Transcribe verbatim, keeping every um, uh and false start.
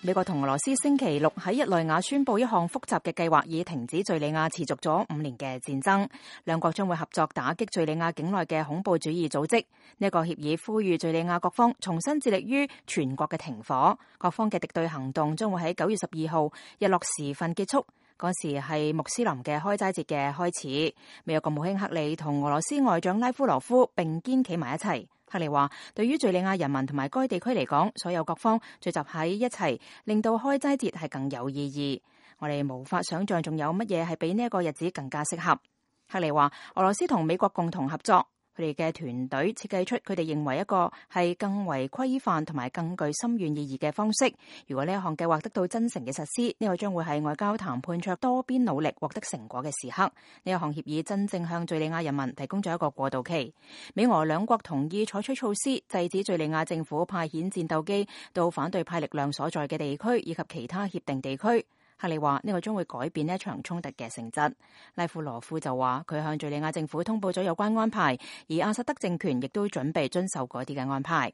美國同俄羅斯星期六喺日內瓦宣布一項複雜嘅計劃，以停止敘利亞持續咗五年嘅戰爭。兩國將會合作打擊敘利亞境內嘅恐怖主義組織。呢個協議呼籲敘利亞各方重新致力於全國嘅停火。各方嘅敵對行動將會喺九月十二號日落時分結束。嗰時係穆斯林嘅開齋節嘅開始。美國國務卿克里同俄羅斯外長拉夫羅夫並肩企埋一齊。克里話，對於敘利亞人民同埋該地區嚟講，所有各方聚集喺一齊，令到開齋節係更有意義。我哋無法想象仲有乜嘢係比呢一個日子更加適合。克里話，俄羅斯同美國共同合作，佢哋嘅團隊設計出佢哋認為一個係更為規範同埋更具深遠意義嘅方式。如果呢一項計劃得到真誠嘅實施，呢個將會係外交談判卓多邊努力獲得成果嘅時刻。呢一項協議真正向敘利亞人民提供咗一個過渡期。美俄兩國同意採取措施，制止敘利亞政府派遣戰鬥機到反對派力量所在嘅地區以及其他協定地區。克里話，呢個將會改變呢一場衝突嘅性質。拉夫羅夫就話，佢向敘利亞政府通報咗有關安排，而阿薩德政權亦都準備遵守嗰啲嘅安排。